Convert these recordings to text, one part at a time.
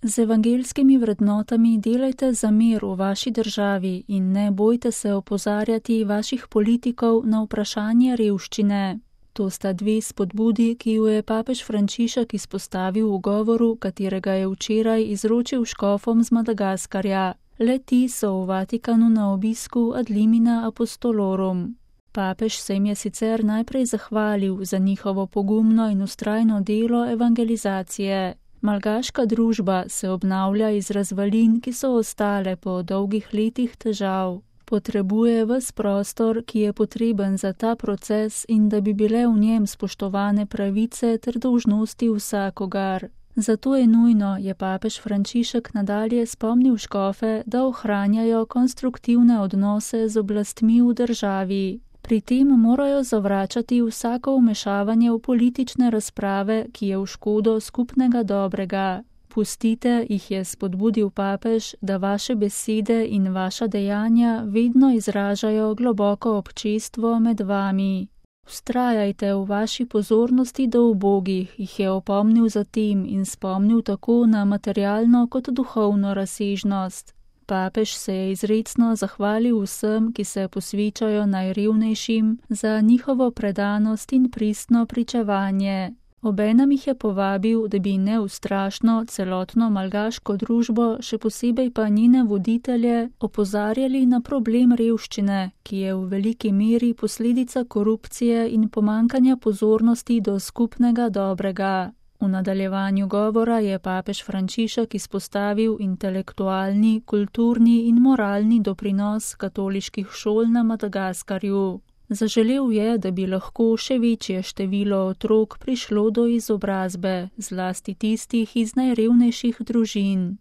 Z evangeljskimi vrednotami delajte za mir v vaši državi in ne bojte se opozarjati vaših politikov na vprašanje revščine. To sta dve spodbudi, ki ju je papež Frančišek izpostavil v govoru, katerega je včeraj izročil škofom z Madagaskarja. Le-ti so v Vatikanu na obisku ad limina apostolorum. Papež se jim je sicer najprej zahvalil za njihovo pogumno in vztrajno delo evangelizacije. Malgaška družba se obnavlja iz razvalin, ki so ostale po dolgih letih težav. Potrebuje ves prostor, ki je potreben za ta proces in da bi bile v njem spoštovane pravice ter dolžnosti vsakogar. Zato je nujno, je papež Frančišek nadalje spomnil škofe, da ohranjajo konstruktivne odnose z oblastmi v državi. Pri tem morajo zavračati vsako vmešavanje v politične razprave, ki je v škodo skupnega dobrega. Pustite, jih je spodbudil papež, da vaše besede in vaša dejanja vedno izražajo globoko občestvo med vami. Vztrajajte v vaši pozornosti do ubogih, jih je opomnil zatem in spomnil tako na materialno kot duhovno razsežnost. Papež se je izrecno zahvalil vsem, ki se posvečajo najrevnejšim, za njihovo predanost in pristno pričevanje. Obenem jih je povabil, da bi neustrašno celotno malgaško družbo, še posebej pa njene voditelje, opozarjali na problem revščine, ki je v veliki meri posledica korupcije in pomankanja pozornosti do skupnega dobrega. V nadaljevanju govora je papež Frančišek izpostavil intelektualni, kulturni in moralni doprinos katoliških šol na Madagaskarju. Zaželel je, da bi lahko še večje število otrok prišlo do izobrazbe, zlasti tistih iz najrevnejših družin.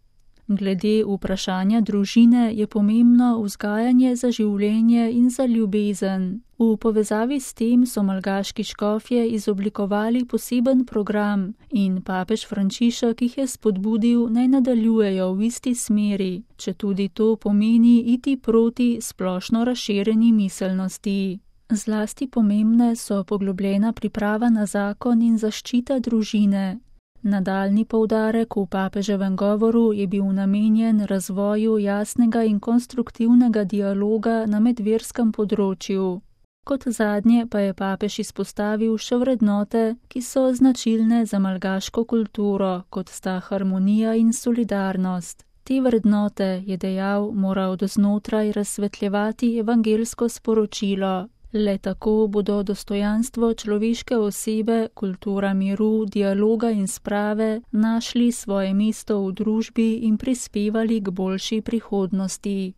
Glede vprašanja družine je pomembno vzgajanje za življenje in za ljubezen. V povezavi s tem so malgaški škofje izoblikovali poseben program in papež Frančišek jih je spodbudil, naj nadaljujejo v isti smeri, četudi to pomeni iti proti splošno razširjeni miselnosti. Zlasti pomembne so poglobljena priprava na zakon in zaščita družine. Nadaljnji poudarek v papeževem govoru je bil namenjen razvoju jasnega in konstruktivnega dialoga na medverskem področju. Kot zadnje pa je papež izpostavil še vrednote, ki so značilne za malgaško kulturo, kot sta harmonija in solidarnost. Te vrednote, je dejal, mora od znotraj razsvetljevati evangelsko sporočilo. Le tako bodo dostojanstvo človeške osebe, kultura miru, dialoga in sprave našli svoje mesto v družbi in prispevali k boljši prihodnosti.